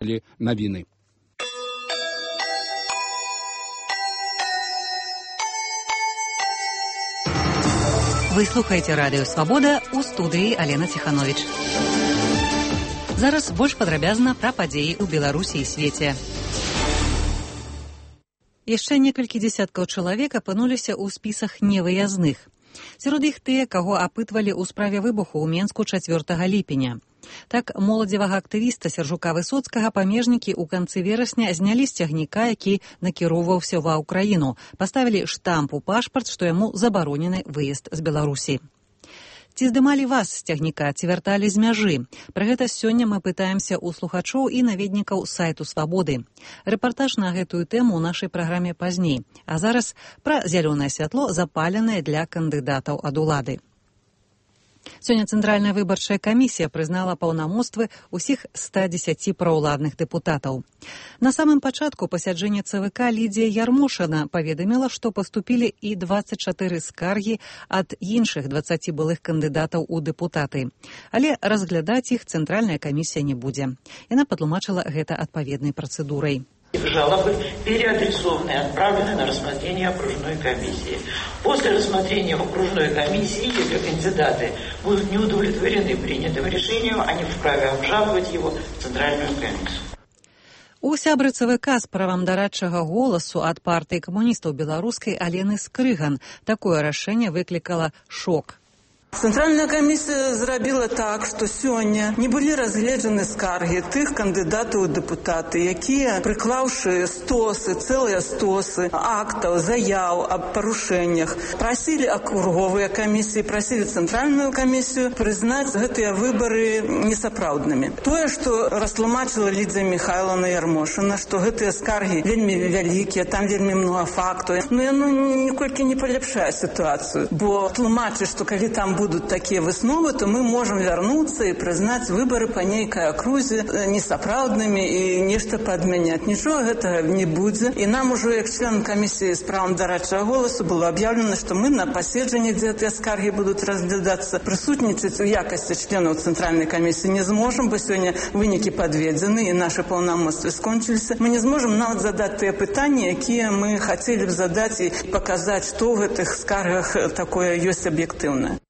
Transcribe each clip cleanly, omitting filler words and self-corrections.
навіны. Вы слухаеце радыё «Свабода», у студыі Алена Ціхановіч. Зараз больш падрабязна пра падзеі ў Беларусі і свеце. Яшчэ некалькі дзесяткаў чалавек апынуліся ў спісах невыязных. Сярод іх тыя, каго апытвалі ў справе выбуху ў Менску 4 ліпеня. Так, моладзевага актывіста Сяржука Высоцкага памежнікі ў канцы верасня знялі з цягніка, які накіроўваўся ва ўкраіну, паставілі штамп у пашпарт, што яму забаронены выезд з Беларусі. Ці здымалі вас з цягніка, ці вярталі з мяжы? Пра гэта сёння мы пытаемся ў слухачоў і наведнікаў сайту «Свабоды». Рэпартаж на гэтую тэму ў нашай праграме пазней. А зараз пра зялёнае святло, запаленае для кандыдатаў ад улады. Сёння Цэнтральная выбарчая камісія прызнала паўнамоцтвы ўсіх 110 праўладных дэпутатаў. На самым пачатку пасяджэння ЦВК Лідзія Ярмошына паведаміла, што паступілі і 24 скаргі ад іншых 20 былых кандыдатаў у дэпутаты. Але разглядаць іх Цэнтральная камісія не будзе. Яна патлумачыла гэта адпаведнай працэдурай. Жалобы переадресованы и отправлены на рассмотрение окружной комиссии. После рассмотрения окружной комиссии, если кандидаты будут не удовлетворены принятым решением, они вправе обжаловать его в Центральную комиссию. У сябры ЦВК з правам дарадчага голасу ад партыі камуністаў беларускай Алены Скрыган такое рашэнне выклікала шок. Цэнтральная камісія зрабіла так, што сёння не былі разгледжаны скаргі тых кандыдатаў у дэпутаты, якія, прыклаўшы стосы, цэлыя стосы актаў, заяў аб парушэннях, прасілі акруговыя камісіі, прасілі цэнтральную камісію прызнаць гэтыя выбары несапраўднымі. Тое, што растлумачыла Лідзія Міхайлаўна Ярмошына, што гэтыя скаргі вельмі вялікія, там вельмі многа фактаў, яно ніколькі не паляпшае сітуацыю, бо тлумачыць, што калі там будут такие высновы, то мы можем вернуться и признать выборы по нейкой окрузе несапраўдными и нечто подменять. Ничего этого не будет. И нам уже, как член комиссии с правом дарадчага голосу, было объявлено, что мы на паседжанні, где эти скарги будут разглядаться, присутничать в якости членов Центральной комиссии не сможем, бо сегодня вынікі подведены и наши полномочия скончились. Мы не сможем нават задать те питания, какие мы хотели бы задать и показать, что в этих скаргах такое есть объективное.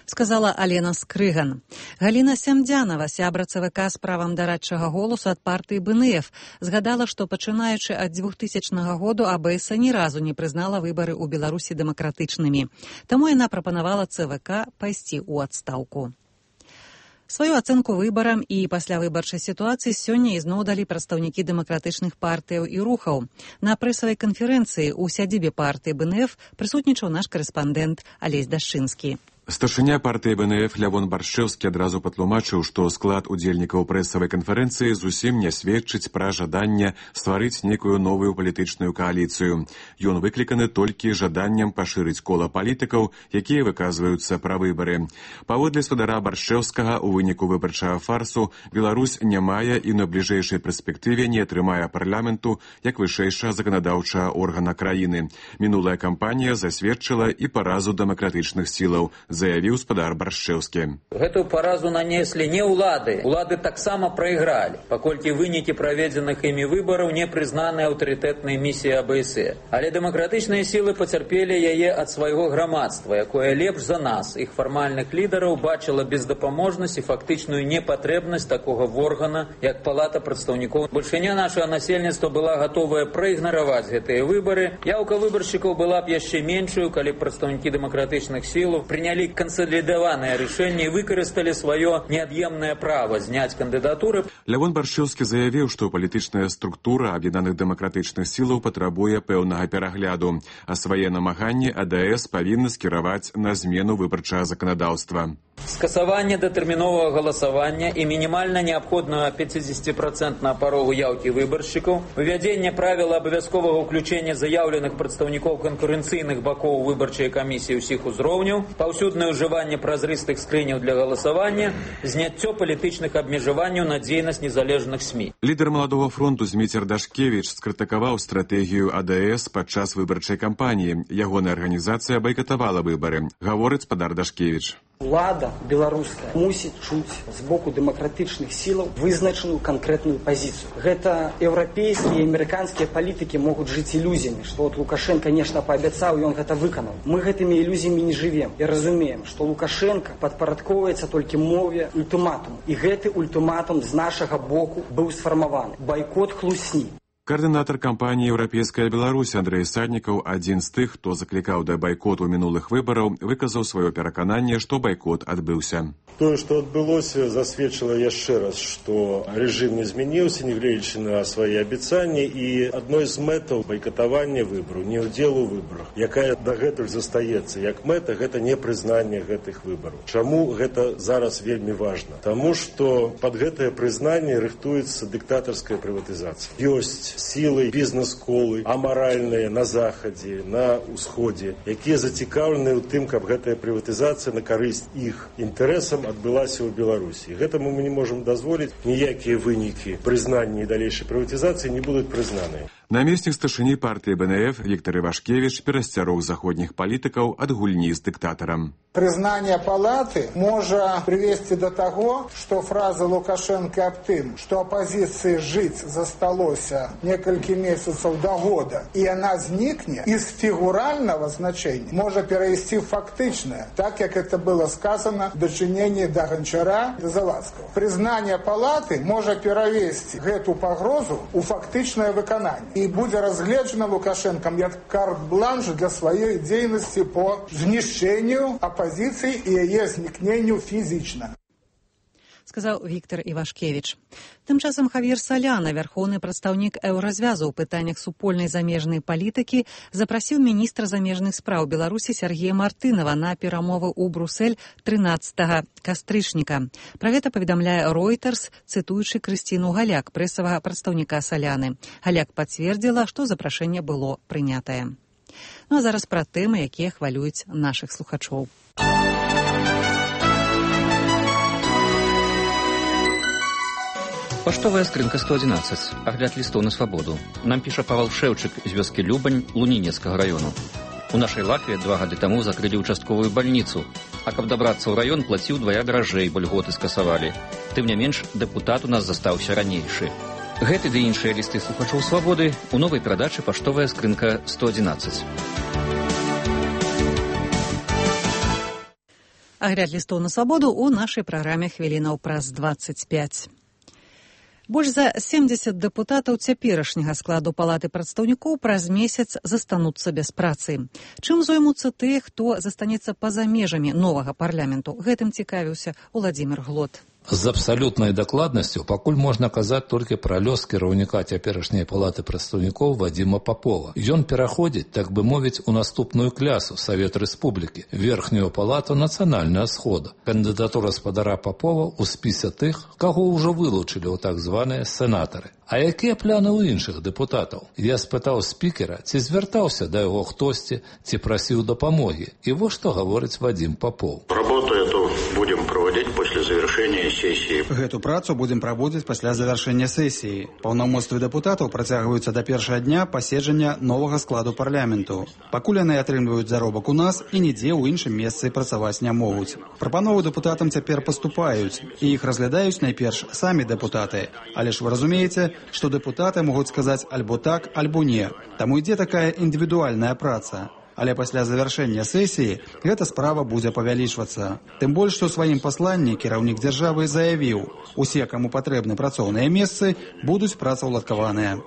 Сказала Алена Скрыган. Галіна Сямдзянава, сябра ЦВК з правам дарадчага голасу ад партыі БНФ, згадала, што пачынаючы ад 2000 году АБС ні разу не прызнала выбары ў Беларусі дэмакратычнымі. Таму яна прапанавала ЦВК пайсці ў адстаўку. Сваю ацэнку выбарам і паслявыбарчай сітуацыі сёння ізноў далі прадстаўнікі дэмакратычных партыяў і рухаў. На прэсавай канферэнцыі ў сядзібе партыі БНФ прысутнічаў наш карэспандэнт Алесь Дашчынскі. Старшыня партыі БНФ Лявон Баршчэўскі адразу патлумачыў, што склад удзельнікаў прэсавай канферэнцыі зусім не сведчыць пра жаданне стварыць нейкую новую палітычную кааліцыю. Ён выкліканы толькі жаданнем пашырыць кола палітыкаў, якія выказваюцца пра выбары. Паводле спадара Баршчэўскага, у выніку выбарчага фарсу Беларусь не мае і на бліжэйшай перспектыве не атрымае парламенту як вышэйшага заканадаўчага органа краіны. Мінулая кампанія засведчыла і паразу дэмакратычных сілаў, заявіў спадар Баршчэўскі. Гэтую паразу нанеслі не ўлады. Улады таксама прайгралі, паколькі вынікі праведзеных імі выбараў не прызнаны аўтарытэтнай місіяй АБС. Але дэмакратычныя сілы пацярпелі яе ад свайго грамадства, якое лепш за нас, іх фармальных лідараў, бачыла бездапаможнасць і фактычную непатрэбнасць такога органа, як Палата прадстаўнікоў. Бальшыня нашага насельніцтва была гатовая праігнараваць гэтыя выбары. Яўка выбаршчыкаў была б яшчэ меншую, калі прадстаўнікі дэмакратычных сілаў прынялі кансалідаванае рашэнне і выкарысталі сваё неад'емнае права зняць кандыдатуры. Лявон Баршчэўскі заявіў, што палітычная структура аб'яднаных дэмакратычных сілаў патрабуе пэўнага перагляду, а свае намаганні АДС павінны скіраваць на змену выбарчага заканадаўства. Скасаванне датэрміновага галасавання і мінімальна неабходную 50% парогу яўкі выбаршчыкаў, увядзенне правіла абавязковага ўключэння заяўленых прадстаўнікоў канкурэнцыйных бакоў выбарчай камісіі ўсіх узроўняў, паўсюднае ўжыванне празрыстых скрыняў для галасавання, зняццё палітычных абмежаванняў на дзейнасць незалежных СМІ. Лідар Маладога фронту Зміцер Дашкевіч скрытыкаваў стратэгію АДС падчас выбарчай кампаніі. Ягоная арганізацыя байкатавала выбары, гаворыць спадар Дашкевіч. Улада беларуская мусіць чуць з боку дэмакратычных сілаў вызначаную канкрэтную пазіцыю. Гэта еўрапейскія і амерыканскія палітыкі могуць жыць ілюзіямі, што от Лукашенко нешта паабяцаў, ён гэта выканаў. Мы гэтымі ілюзіямі не жывем і разумеем, што Лукашенко падпарадкоўваецца толькі мове ультыматуму. І гэты ультыматум з нашага боку быў сфармаваны. Байкот хлусні. Координатор кампании «Европейская Беларусь» Андрей Саднікаў, адзін з тых, хто заклікаў да байкоту мінулых выбараў, выказаў сваё перакананне, што байкот адбыўся. Тое, што адбылося, засведчыла яшчэ раз, што рэжым не змяніўся, нягледзячы на свае абяцанні, і адной з мэтаў байкатавання выбараў, не ўдзел у выбарах, якая дагэтуль застаецца як мэта, гэта непрызнанне гэтых выбараў. Чаму гэта зараз вельмі важна? Таму што пад гэтае прызнанне рыхтуецца дыктатарская прыватызацыя. Ёсць сілы, бізнес-колы, амаральныя на захадзе, на ўсходзе, якія зацікаўлены ў тым, каб гэтая прыватызацыя на карысць іх інтарэсам адбылася ў Беларусі. Гэтаму мы не можам дазволіць, ніякія вынікі прызнання і далейшай прыватызацыі не будуць прызнаныя. Намеснік старшыні партыі БНФ Віктор Івашкевіч перасцярог заходніх палітыкаў ад гульні з дыктатарам. Признание палаты может привести до того, что фраза Лукашенко об тем, что оппозиции жить засталося несколько месяцев до года, и она зникнет, из фигурального значения может перевести в фактичное, так как это было сказано в дочинении до Гончара и Завадского. Признание палаты может перевести эту погрозу у фактичное выконание. И будет разгледжено Лукашенком як карт-бланш для своей деятельности по знищению оппозиции и ее зникнению физично. Сказаў Віктор Івашкевіч. Тым часам Хавьер Соляна, вярхоўны прадстаўнік еўразвязу ў пытаннях супольнай замежнай палітыкі, запрасіў міністра замежных спраў Беларусі Сергея Мартынова на перамовы ў Брусель 13 кастрычніка. Пра гэта паведамляе Reuters, цытуючы Крысціну Галяк, прэсавага прадстаўніка Соляны. Галяк пацвердзіла, што запрашэнне было прынятае. Ну а зараз пра тэмы, якія хвалююць нашых слухачоў. Паштовая скрынка 111. Агляд лістоў на свабоду. Нам піша Павел Шэўчык з вёскі Любань Лунінецкага раёну. У нашай Латвіі 2 гады таму закрылі участковую бальніцу, а каб дабрацца ў раён, плаціў удвая даражэй, бо льготы скасавалі. Тым не менш, дэпутат у нас застаўся ранейшы. Гэты ды іншыя лісты слухачоў свабоды у новай перадачы «Паштовая скрынка 111». Агляд лістоў на свабоду ў нашай праграме хвілінаў праз 25. Больш за 70 дэпутатаў цяперашняга складу палаты прадстаўнікоў праз месяц застануцца без працы. Чым зоймуцца тыя, хто застанецца па-за межамі новага парламенту? Гэтым цікавіўся Уладзімір Глот. З абсалютнай дакладнасцю пакуль можна казаць толькі пра лёс кіраўніка цяперашняй палаты прадстаўнікоў Вадзіма Папова. Ён пераходзіць, так бы мовіць, у наступную клясу Савет Рэспублікі, верхнюю палату Нацыянальная Схода. Кандыдатура спадара Папова ў спісе тых, каго ўжо вылучылі ў так званыя сенатары. А якія пляны ў іншых дэпутатаў? Я спытаў спікера, ці звяртаўся да яго хтосьці, ці прасіў дапамогі. І вось што гаворыць Вадзім Папов. Работу эту будем проводить после завершения сессии. Гэту працу будем праводзіць пасля завяршэння сесіі. Паўнамоцтвы дэпутатаў працягваюцца да першага дня паседжання новага складу парламенту. Пакуль яны атрымліваюць заробак у нас і нідзе ў іншым месцы працаваць не могуць. Прапановы дэпутатам цяпер паступаюць, і іх разглядаюць найперш самі дэпутаты. Але ж вы разумееце, што дэпутаты могуць сказаць альбо так, альбо не. Таму ідзе такая індывідуальная праца. Але пасля завяршэння сесіі гэта справа будзе павялічвацца. Тым больш, што ў сваім пасланні кіраўнік дзяржавы заявіў, усе, каму патрэбны працоўныя месцы, будуць працаўладкаваныя.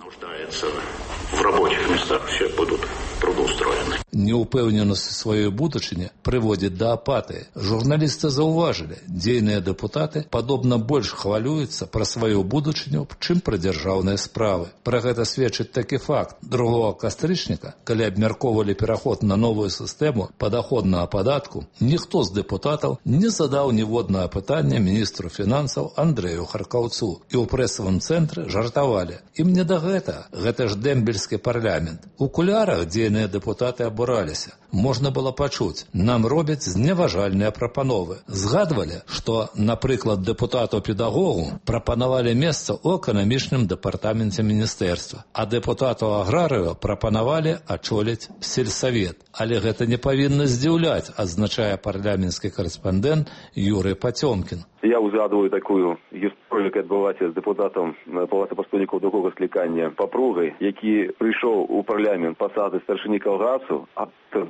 В рабочих местах все будут трудоустроены. Неупэўненасць сваёй будучыні прыводзіць да апатыі. Журналісты заўважылі, дзейныя дэпутаты падобна больш хвалююцца пра сваю будучыню, чым пра дзяржаўныя справы. Пра гэта сведчыць такі факт. 2 кастрычніка, калі абмяркоўвалі пераход на новую сістэму падаходнага падатку, ніхто з дэпутатаў не задаў ніводнага пытання міністру фінансаў Андрэю Харкаўцу. І ў прэсавым цэнтры жартавалі. Ім не да гэта ж дэмбельскі парламент. У кулярах, дзе апозіцыйныя дэпутаты абураліся. Можна было пачуць, нам робяць зневажальныя прапановы. Згадвалі, што, напрыклад, дэпутату-педагогу прапанавалі месца ў эканамічным дэпартаменце міністэрства, а дэпутату-аграрыю прапанавалі ачоліць сельсавет. Але гэта не павінна здзіўляць, адзначае парламенtsкі корэспандэнт Юрый Пацёмкін. Я узгадываю такую гісторыю, яка адбылася з дэпутатам Палаты прадстаўнікоў другога склікання Папругай, які прыйшоў у парламент пасады старшыні калгасу, а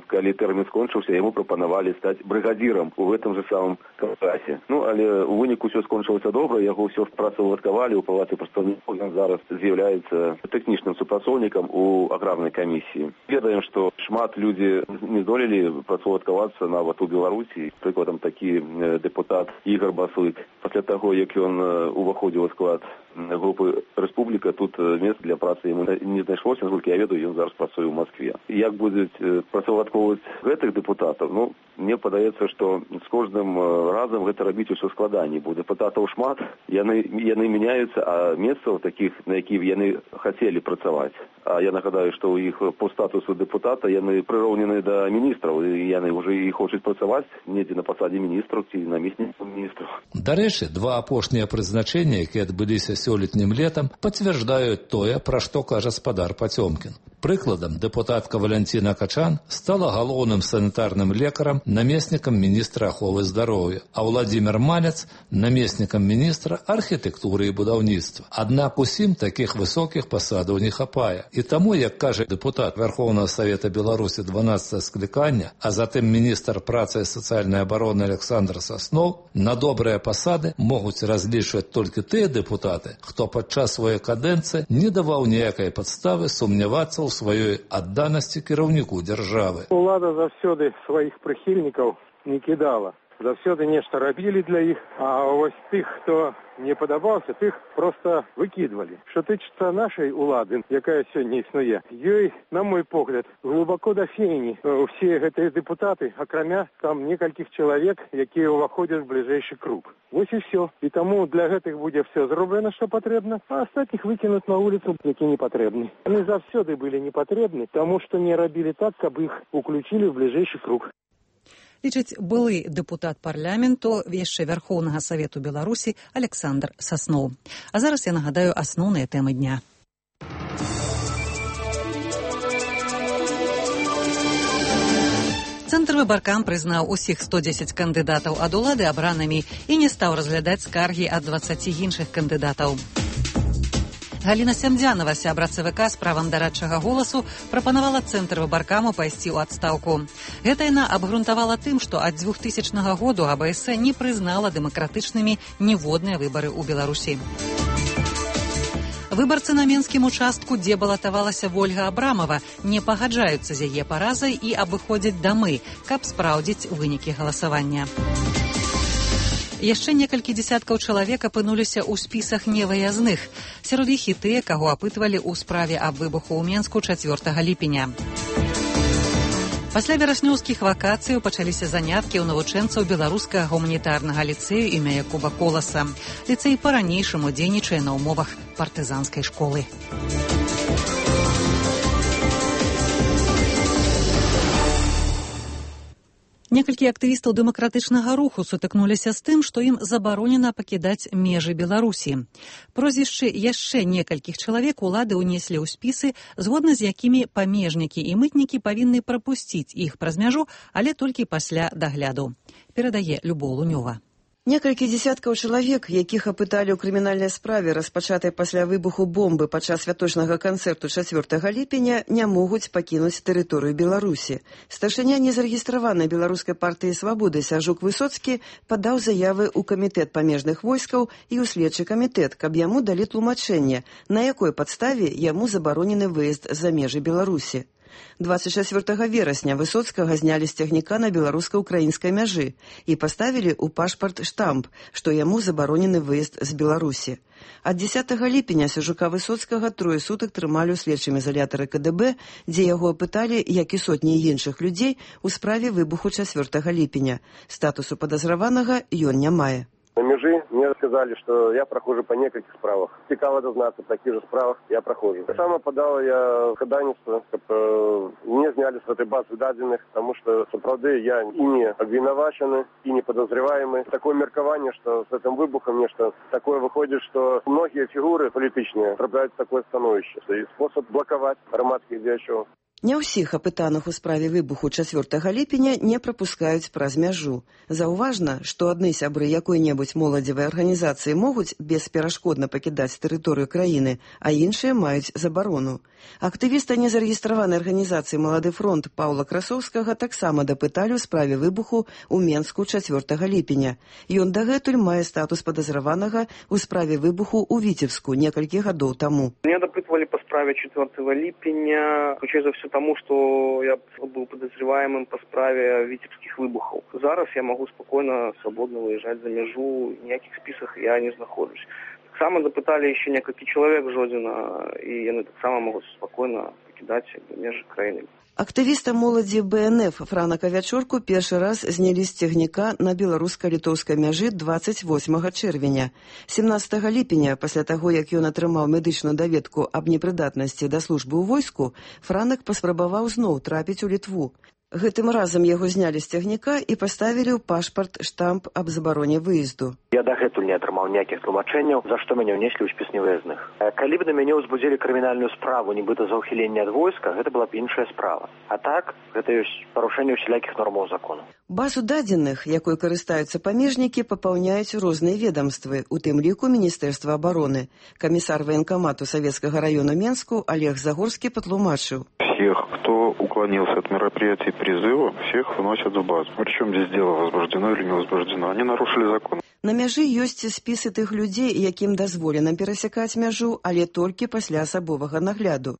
калі тэрмін скончыўся, яму прапанавалі стаць брыгадзірам у гэтым же самым калгасе. Але у выніку ўсё скончылася добра, яго ўсё працаўладкавалі ў Палаце прадстаўнікоў, ён зараз з'яўляецца тэхнічным супрацоўнікам у аграрнай камісіі. Ведаем, што шмат людзі не здолелі працаўладкавацца нават у Беларусі. Прыкладам, такі дэпутат Ігор Баслык. Пасля таго, як ён уваходзіў у склад групы «Рэспубліка», тут месца для працы яму не знайшлося, наскільки я ведаю, ён зараз працуе ў Москве. Як будуць працаўладкоўваць гэтых дэпутатаў? Мне падаецца, што з кожным разам гэта рабіць усё складаней. Бо дэпутатаў шмат, яны мяняюцца, а месцаў такіх, на якіх яны хацелі працаваць. А я нагадаю, што ў іх по статусу дэпутата яны прыроўнены да міністраў, і яны ўжо і хочуць працаваць недзе на пасадзе міністраў ці намеснікаў міністраў. Дарэчы, два апошнія прызначэння, якія адбыліся сёлетнім летам, пацвярджаюць тое, пра што кажа спадар Пацёмкін. Прыкладам, дэпутатка Валянціна Качан стала галоўным санітарным лекарам, намеснікам міністра аховы здароўя, а Владзімір Малец намеснікам міністра архітэктуры і будаўніцтва. Аднак усім такіх высокіх пасадаў не хапае. І таму, як кажа дэпутат Верховнага Савета Беларусі 12 склікання, а затым міністр працы і сацыяльнай абароны Александр Сасноў, на добрыя пасады могуць разлічваць толькі тыя дэпутаты, хто падчас сваёй кадэнцыі не даваў ніякай падставы сумнявацца ў сваёй адданасці кіраўніку дзяржавы. Улада заўсёды сваіх прыхільнікаў не кідала. Заўсёды нешта рабілі для іх, а вось тых, хто не падабаўся, тых проста выкідвалі. Што тычыцца нашай улады, якая сёння існуе, ёй, на мой погляд, глыбоко да фені ўсе гэтыя дэпутаты, акрамя там некалькіх чалавек, якія ўваходзяць в бліжэйшы круг. Вось і ўсё. І таму для гэтых будзе все зроблена, што патрэбна, а астатніх выкінуць на вуліцу, які не патрэбны. Яны заўсёды былі не патрэбны, таму што не рабілі так, каб іх уключілі ў бліжэйшы круг. Лічыць былы дэпутат парламенту яшчэ Верхоўнага Савету Беларусі Александр Сасноў. А зараз я нагадаю асноўныя тэмы дня. Цэнтр выбаркам прызнаў усіх 110 кандыдатаў ад улады абранымі і не стаў разглядаць скаргі ад 20 іншых кандыдатаў. Галіна Сямдзянова, сябра ЦВК з правам дарадчага голасу, прапанавала Цэнтр выбаркаму пайсці ў адстаўку. Гэта яна абгрунтавала тым, што ад 2000 году АБС не прызнала дэмакратычнымі ніводныя выбары ў Беларусі. Выбарцы на менскім участку, дзе балатавалася Вольга Абрамова, не пагаджаюцца з яе паразай і абыходзяць дамы, каб спраўдзіць вынікі галасавання. Яшчэ некалькі дзесяткаў чалавек апынуліся ў спісах невыязных. Сярод іх і тыя, каго апытвалі ў справе аб выбуху ў Менску 4 ліпеня. Пасля вераснёўскіх вакацыяў пачаліся заняткі ў навучэнцаў беларускага гуманітарнага ліцэю імя Якуба Коласа. Ліцэй па-ранейшаму дзейнічае на ўмовах партызанскай школы. Некалькі актывістаў дэмакратычнага руху сутыкнуліся з тым, што ім забаронена пакідаць межы Беларусі. Прозвішчы яшчэ некалькіх чалавек улады ўнеслі ў спісы, згодна з якімі памежнікі і мытнікі павінны прапусціць іх праз мяжу, але толькі пасля дагляду. Перадае Любоў Лунёва. Некалькі дзесяткаў чалавек, якіх апыталі ў крымінальнай справе, распачатай пасля выбуху бомбы падчас святочнага канцэрту 4 ліпеня, не могуць пакінуць тэрыторыю Беларусі. Старшыня незарэгістраванай беларускай партыі «Свабоды» Сяржук Высоцкі падаў заявы ў камітэт памежных войскаў і ў следчы камітэт, каб яму далі тлумачэнне, на якой падставе яму забаронены выезд за межы Беларусі. 24 верасня Высоцкага знялі з цягніка на беларуска-украінскай мяжы і паставілі ў пашпарт штамп, што яму забаронены выезд з Беларусі. Ад 10 ліпеня Сяржука Высоцкага 3 сутак трымалі ў следчым ізалятары КДБ, дзе яго апыталі, як і сотні іншых людзей, у справе выбуху 4 ліпеня. Статусу падазраванага ён не мае. На межи мне сказали, что я прохожу по нескольких справах. Цікаво дознаться, в таких же справах я прохожу. Сам подал я ходатайство, чтобы меня сняли с этой базы данных, потому что, справді, я и не обвинувачений, и не подозреваемый. Такое меркование, что с этим выбухом нечто такое выходит, что многие фигуры политичные трапляют в такое становище. И способ блоковать громадских діячів. Не ўсіх апытаных у справе выбуху 4 ліпеня не прапускаюць праз мяжу. Заўважна, што адны сябры якой-небудзь моладзевай арганізацыі могуць бесперашкодна пакідаць тэрыторыю краіны, а іншыя маюць забарону. Актывіста незарэгістраванай арганізацыі «Малады фронт» Паўла Красоўскага таксама дапыталі ў справе выбуху ў Менску 4 ліпеня. Ён дагэтуль мае статус падазраванага ў справе выбуху ў Віцебску некалькі гадоў таму. Меня допытывали по справе 4 липеня, ключей за все тому, что я был подозреваемым по справе витебских выбухов. Зараз я могу спокойно, свободно выезжать за межу, в никаких списках я не нахожусь. Так само допытали еще несколько человек Жодина, и они так само могут спокойно покидать межи краины. Актывіста моладзі БНФ Франа Кавячорку першы раз знялі з цягніка на беларуска-літоўскай мяжы 28 чэрвеня. 17 ліпеня, пасля таго, як ён атрымаў медычную даведку аб непрыдатнасці да службы ў войску, Франак паспрабаваў зноў трапіць у Літву. Гэтым разам яго знялі з цягніка і паставілі ў пашпарт штамп аб забароне выезду. Я дагэтуль не атрымаў ніякіх тлумачэнняў, за што мяне ўнеслі ў спіс невыязных. Калі б на мяне ўзбудзілі крымінальную справу, нібыта за ўхіленне ад войска, гэта была б іншая справа. А так, гэта ёсць парушэнне ўсялякіх нормаў закону. Базу дадзеных, якой карыстаюцца памежнікі, папаўняюць розныя ведомствы, у тым ліку Міністэрства абароны. Камісар военкомату Савецкага району Менску Олег Загорскі патлумачыў. Всех, кто уклонился от мероприятий призыва, всех выносят в базу. Причем здесь дело возбуждено или не возбуждено. Они нарушили закон. На мяжы ёсць спісы тых людзей, якім дазволена перасякаць мяжу, але толькі пасля асабовага нагляду.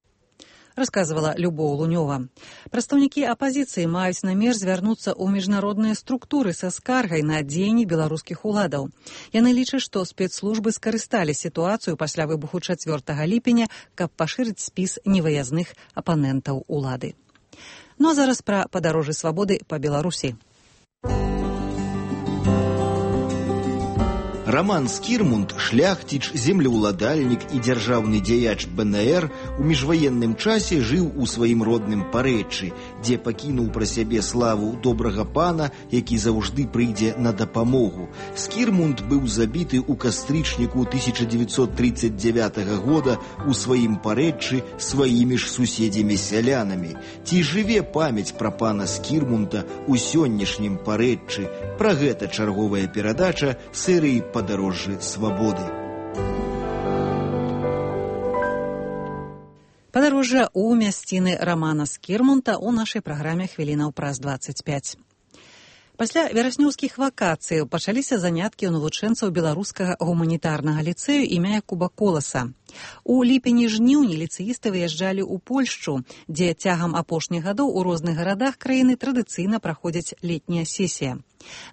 Расказвала Любоў Лунёва. Прадстаўнікі апазіцыі маюць намер звярнуцца ў міжнародныя структуры са скаргай на дзеянні беларускіх уладаў. Яны лічаць, што спецслужбы скарысталі сітуацыю пасля выбуху 4 ліпеня, каб пашырыць спіс невыязных апанентаў улады. Ну а зараз пра падарожжы свабоды па Беларусі. Роман Скірмунд, шляхціч, землеўладальнік і дзяржаўны дзеяч БНР у міжваенным часе жыў у сваім родным Парэччы, дзе пакінуў пра сябе славу добрага пана, які заўжды прыйдзе на дапамогу. Скірмунд быў забіты ў кастрычніку 1939 года у сваім Парэччы сваімі ж суседзямі-сялянамі. Ці жыве памяць пра пана Скірмунда ў сённяшнім Парэччы? Пра гэта чарговая перадача серыі «Падарожжы свабоды». Падарожжа ў мясціны Рамана Скірмунда ў нашай праграме «Хвілінаў праз 25». Пасля вераснёўскіх вакацыяў пачаліся заняткі ў навучэнцаў беларускага гуманітарнага ліцэю імя Якуба Коласа. У ліпені-жніўні ліцэісты выязджалі ў Польшчу, дзе цягам апошніх гадоў у розных гарадах краіны традыцыйна праходзіць летняя сесія.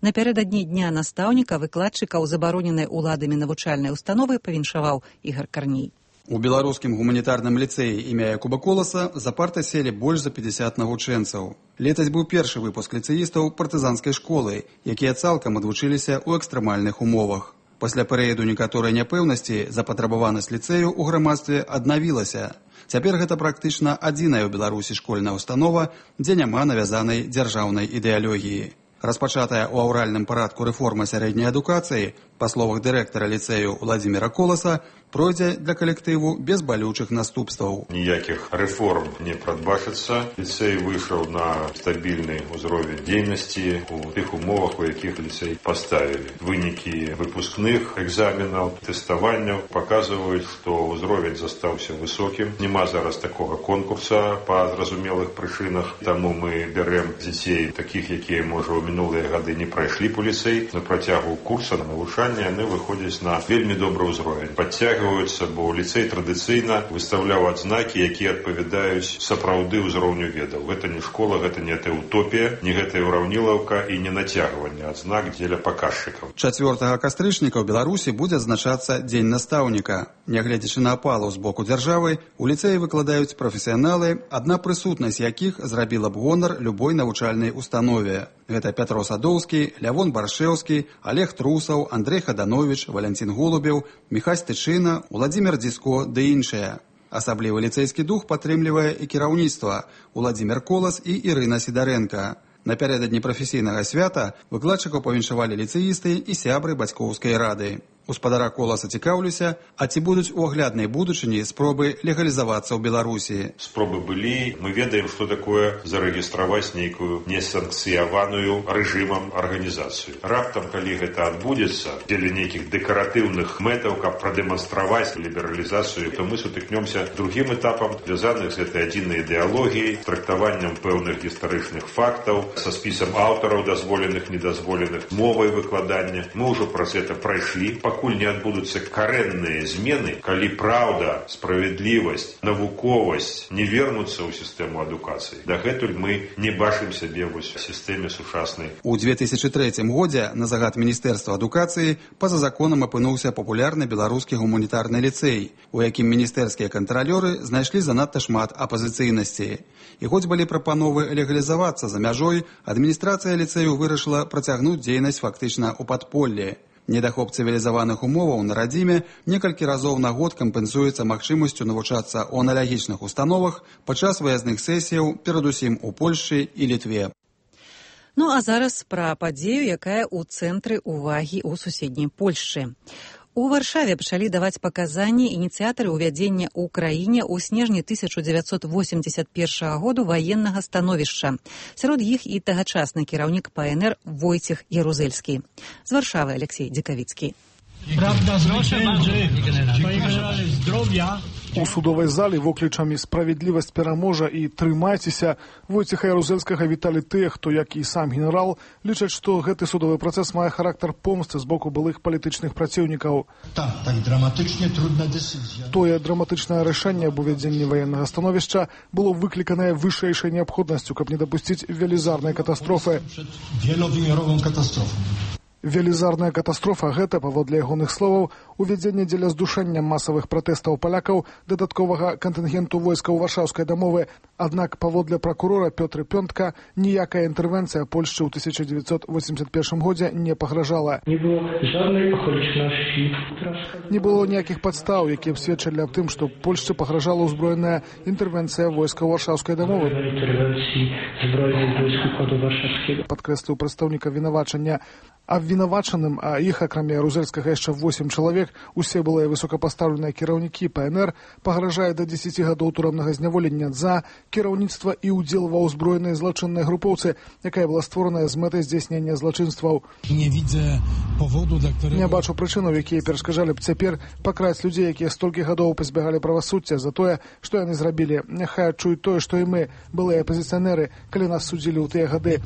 Напярэдадні дня настаўніка выкладчыкаў забароненай уладамі навучальнай установы павіншаваў Ігар Карней. У беларускім гуманітарным ліцэі імя Якуба Коласа за партай селі больш за 50 навучэнцаў. Летась быў першы выпуск ліцэістаў партызанскай школы, якія цалкам адвучыліся ў экстрэмальных умовах. Пасля перыяду некаторай няпэўнасці запатрабаванасць ліцэю ў грамадстве аднавілася. Цяпер гэта практычна адзіная ў Беларусі школьная установа, дзе няма навязанай дзяржаўнай ідэалогіі. Распачатая ў аўральным парадку рэформа сярэдняй адукацыі, па словах дырэктара ліцэю Владзіміра Коласа, пройдзе для калектыву без балючых наступстваў. Ніякіх рэформ не прадбачыцца. Ліцэй выйшаў на стабільны ўзровень дзейнасці у тых умовах, у якіх ліцэй паставілі. Вынікі выпускных экзаменаў, тэставанняў паказваюць, што ўзровень застаўся высокім. Нема зараз такога конкурса па зразумелых прычынах, таму мы бярэм дзяцей такіх, якія, можа, у мінулыя гады не прайшлі па ліцэй. На працягу курса на навучанне яны выходзяць на вельмі добры ўзровень. Падцягваюцца, бо ліцэй традыцыйна выстаўляў адзнакі, якія адпавядаюць сапраўды ўзроўню ведаў. Гэта не школа, гэта не утопія, не гэта ўраўнілаўка і не нацягванне адзнак дзеля паказчыкаў. 4 кастрычніка ў Беларусі будзе адзначацца Дзень настаўніка. Нягледзячы на апалу з боку дзяржавы, у ліцэі выкладаюць прафесіяналы, адна прысутнасць якіх зрабіла б гонар любой навучальнай установе. Гэта Пятро Садоўскі, Лявон Баршэўскі, Олег Трусаў, Андрей Хаданович, Валянцін Голубеў, Міхась Тычына, Уладзімир Дзіско ды іншыя. Асаблівы ліцэйскі дух падтрымлівае і кіраўніцтва Уладзімир Колас і Ірына Сідарэнка. Напярэдадні прафесійнага свята выкладчыкаў павіншавалі ліцэісты і сябры бацькоўскай рады. У спадара Коласа цікаўлюся, а ці будуць у агляднай будучыні спробы легалізавацца ў Беларусі? Спробы былі. Мы ведаем, што такое зарэгістраваць нейкую несанкцыяваную рэжымам арганізацыю. Раптам, калі гэта адбудзецца дзеля нейкіх дэкаратыўных мэтаў, каб прадэманстраваць лібералізацыю, то мы сутыкнёмся другім этапам, звязаных з гэтай адзінай ідэалогіяй, трактаваннем пэўных гістарычных фактаў, са спісам аўтараў дазволеных, недазволеных, мовай выкладання. Мы ўжо праз гэта прайшлі. Пакуль не адбудуцца карэнныя змены, калі праўда, справядлівасць, навуковасць не вернуцца ў сістэму адукацыі, дагэтуль мы не бачым сябе ў сістэме сучаснай. У 2003 годзе на загад Міністэрства адукацыі па-за законам апынуўся папулярны беларускі гуманітарны ліцэй, у якім міністэрскія кантралёры знайшлі занадта шмат апазіцыйнасці. І хоць былі прапановы легалізавацца за мяжой, адміністрацыя ліцэю вырашыла працягнуць дзейнасць фактычна ў падполлі. Недахоп цывілізаваных умоваў на радзіме некалькі разоў на год кампенсуецца магчымасцю навучацца ў аналагічных установах падчас выязных сесіяў, перадусім у Польшчы і Літве. Ну а зараз пра падзею, якая ў цэнтры ўвагі ў суседняй Польшчы. У Варшаве пачалі даваць паказанні ініцыятары ўвядзення ў краіне ў снежні 1981 году ваеннага становішча. Сярод іх і тагачасны кіраўнік ПНР Войцех Ярузельскі. З Варшавы Алексей Дзікавіцкі. У судовай залі воклічамі «Справядлівасць пераможа» і «Трымайцеся» Войцеха Ярузельскага віталі тыя, хто, як і сам генерал, лічаць, што гэты судовы працэс мае характар помсты з боку былых палітычных праціўнікаў. Тое драматычнае рашэнне аб увядзенні ваеннага становішча было выкліканае вышэйшай неабходнасцю, каб не дапусціць велізарнай катастрофы. Велізарная катастрофа – гэта, паводле ягоных словаў, увядзенне дзеля здушэння масавых пратэстаў палякаў дадатковага кантынгенту войскаў Варшаўскай дамовы. Аднак, паводле пракурора Пётры Пёнтка, ніякая інтэрвенцыя Польшчы ў 1981 годзе не пагражала. Не было жаднай аколічнасці. Не было ніякіх падстаў, якія б сведчылі аб тым, што Польшчы пагражала ўзброеная інтэрвенцыя войскаў Варшаўскай дамовы. Падкрэсліў прадстаўнік абвінавачання. Абвінавачаным, а іх, акрамя Ярузельскага, яшчэ 8 чалавек, усе былыя высокапастаўленыя кіраўнікі ПНР, пагражае да 10 гадоў турамнага зняволення за кіраўніцтва і ўдзел ва ўзброенай злачыннай групоўцы, якая была створаная з мэтай здзяйснення злачынстваў. Не бачу прычынаў, якія перашкаджалі б цяпер пакраць людзей, якія столькі гадоў пазбягалі правасуддзя за тое, што яны зрабілі. Няхай адчуюць тое, што і мы, былыя апазіцыянеры, калі нас судзілі ў тыя гады.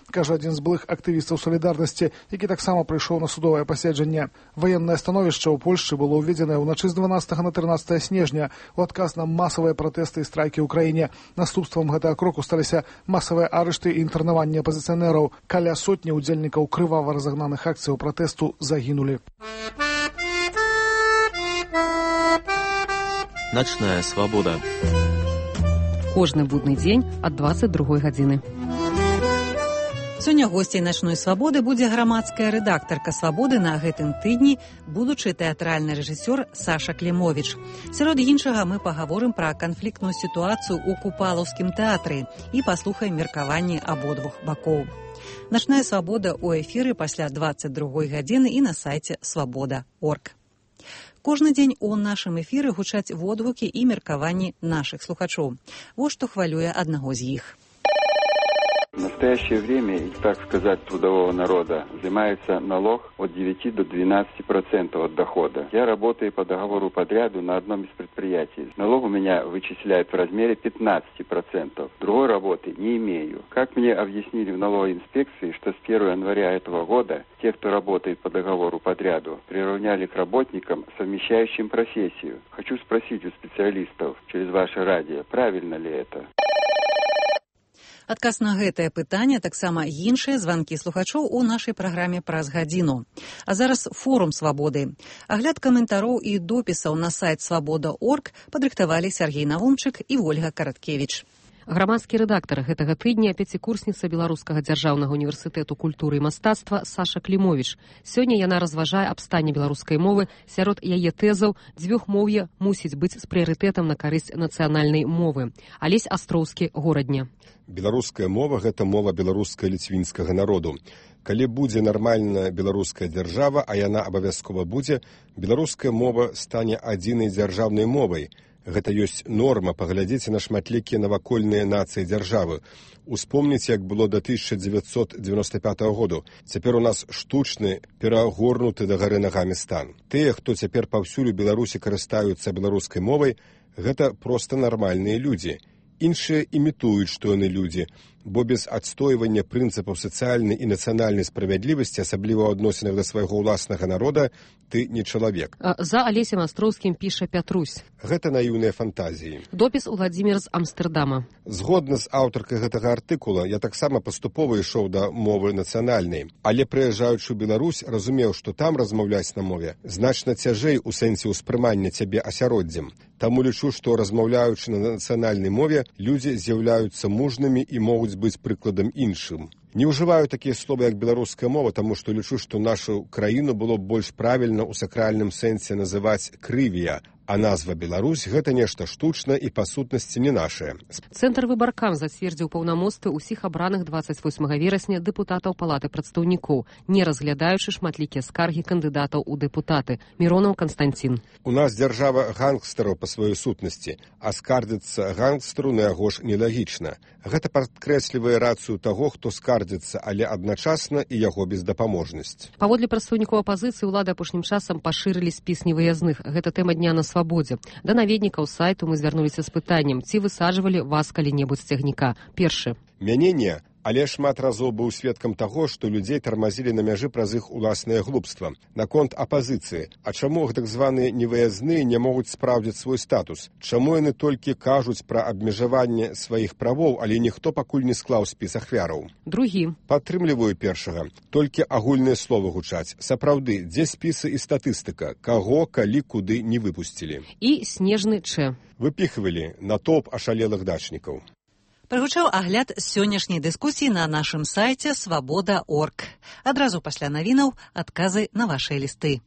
Кажа адзін з былых актывістаў «Салідарнасці», які таксама прыйшоў на судовае паседжанне. Ваеннае становішча ў Польшчы было ўведзенае ўначы з 12 на 13 снежня у адказ на масавыя пратэсты і страйкі ў краіне. Наступствам гэтага кроку сталіся масавыя арышты і інтэрнаванні апазіцыянераў. Каля сотні ўдзельнікаў крывава разагнаных акцыяў пратэсту загінулі. Начная свабода. Кожны будны дзень ад 22 гадзіны. Сёння госцей начной свабоды будзе грамадская рэдактарка свабоды на гэтым тыдні, будучы тэатральны рэжысёр Саша Клімовіч. Сярод іншага мы пагаворым пра канфліктную сітуацыю ў Купалаўскім тэатры і паслухаем меркаванні абодвух бакоў. Начная свабода ў эфіры пасля 22 гадзіны і на сайце свабода.орг. Кожны дзень у нашым эфіры гучаць водгукі і меркаванні нашых слухачоў. Вось што хвалюе аднаго з іх. В настоящее время, так сказать, трудового народа взимается налог от 9 до 12% от дохода. Я работаю по договору подряду на одном из предприятий. Налог у меня вычисляют в размере 15%. Другой работы не имею. Как мне объяснили в налоговой инспекции, что с 1 января этого года те, кто работает по договору подряду, приравняли к работникам, совмещающим профессию. Хочу спросить у специалистов через ваше радио, правильно ли это? Адказ на гэтае пытанне, таксама іншыя званкі слухачоў у нашай праграме праз гадзіну. А зараз форум свабоды. Агляд каментароў і допісаў на сайт свабода.орг падрыхтавалі Сергей Навумчык і Ольга Караткевіч. Грамадскі рэдактар гэтага тыдня пяцікурсніца Беларускага дзяржаўнага універсітэту культуры і мастацтва Саша Клімовіч. Сёння яна разважае аб стане беларускай мовы. Сярод яе тэзаў дзвюхмоўе мусіць быць з прыярытэтам на карысць нацыянальнай мовы. Алесь Астроўскі, Горадня. Беларуская мова – гэта мова беларуска-ліцвінскага народу. Калі будзе нармальная беларуская дзяржава, а яна абавязкова будзе, беларуская мова стане адзінай дзяржаўнай мовай. Гэта ёсць норма, паглядзіце на шматлікія навакольныя нацыі дзяржавы. Успомніце, як было да 1995 году. Цяпер у нас штучны, перагорнуты дагары нагамі стан. Тыя, хто цяпер паўсюль у Беларусі карыстаюцца беларускай мовай, гэта проста нармальныя людзі. Іншыя імітуюць, што яны людзі, бо без адстойвання прынцыпаў сацыяльнай і нацыянальнай справядлівасці, асабліва ў адносінах да свайго ўласнага народа, ты не чалавек. За Алесем Астроўскім піша Пятрусь. Гэта наіўныя фантазіі. Допіс Уладзімір з Амстэрдама. Згодна з аўтаркай гэтага артыкула, я таксама паступова ішоў да мовы нацыянальнай, але прыязджаючы ў Беларусь, разумеў, што там размаўляць на мове значна цяжэй у сэнсе ўспрымання цябе асяроддзем. Таму лічу, што размаўляючы на нацыянальнай мове, людзі з'яўляюцца мужнымі і могуць быць прыкладам іншым. Не ўжываю такія словы, як беларуская мова, таму што лічу, што нашу краіну было б больш правільна ў сакральным сэнсе называць крывія, а назва Беларусь – гэта нешта штучна і па сутнасці не нашае. Цэнтр Выбаркам зацвердзіў паўнамоцтвы ўсіх абраных 28 верасня дэпутатаў Палаты прадстаўнікоў, не разглядаючы шматлікія скаргі кандыдатаў у дэпутаты. Міронаў Канстанцін. У нас дзяржава гангстараў па сваёй сутнасці, а скардзіцца гангстару на яго ж нелагічна. Гэта падкрэслівае рацыю таго, хто скардзіцца, але адначасна і яго бездапаможнасць. Паводле прадстаўнікоў апазіцыі, улады апошнім часам пашырылі спіс невыязных. Гэта тэма дня на свабодзе. Да наведнікаў сайту мы звярнуліся з пытаннем, ці высаджвалі вас калі-небудзь з цягніка. Першы. Мяне не, але шмат разоў быў сведкам таго, што людзей тармазілі на мяжы праз іх уласнае глупства. Наконт апазіцыі. А чаму так званыя невыязныя не могуць спраўдзіць свой статус? Чаму яны толькі кажуць пра абмежаванне сваіх правоў, але ніхто пакуль не склаў спіс ахвяраў? Другі. Падтрымліваю першага. Толькі агульныя словы гучаць. Сапраўды, дзе спісы і статыстыка? Каго, калі, куды не выпусцілі? І Снежны Ч. Выпіхвалі натоўп ашалелых дачнікаў. Прагучаў агляд сённяшняй дыскусіі на нашым сайце свабода.орг. Адразу пасля навінаў адказы на вашыя лісты.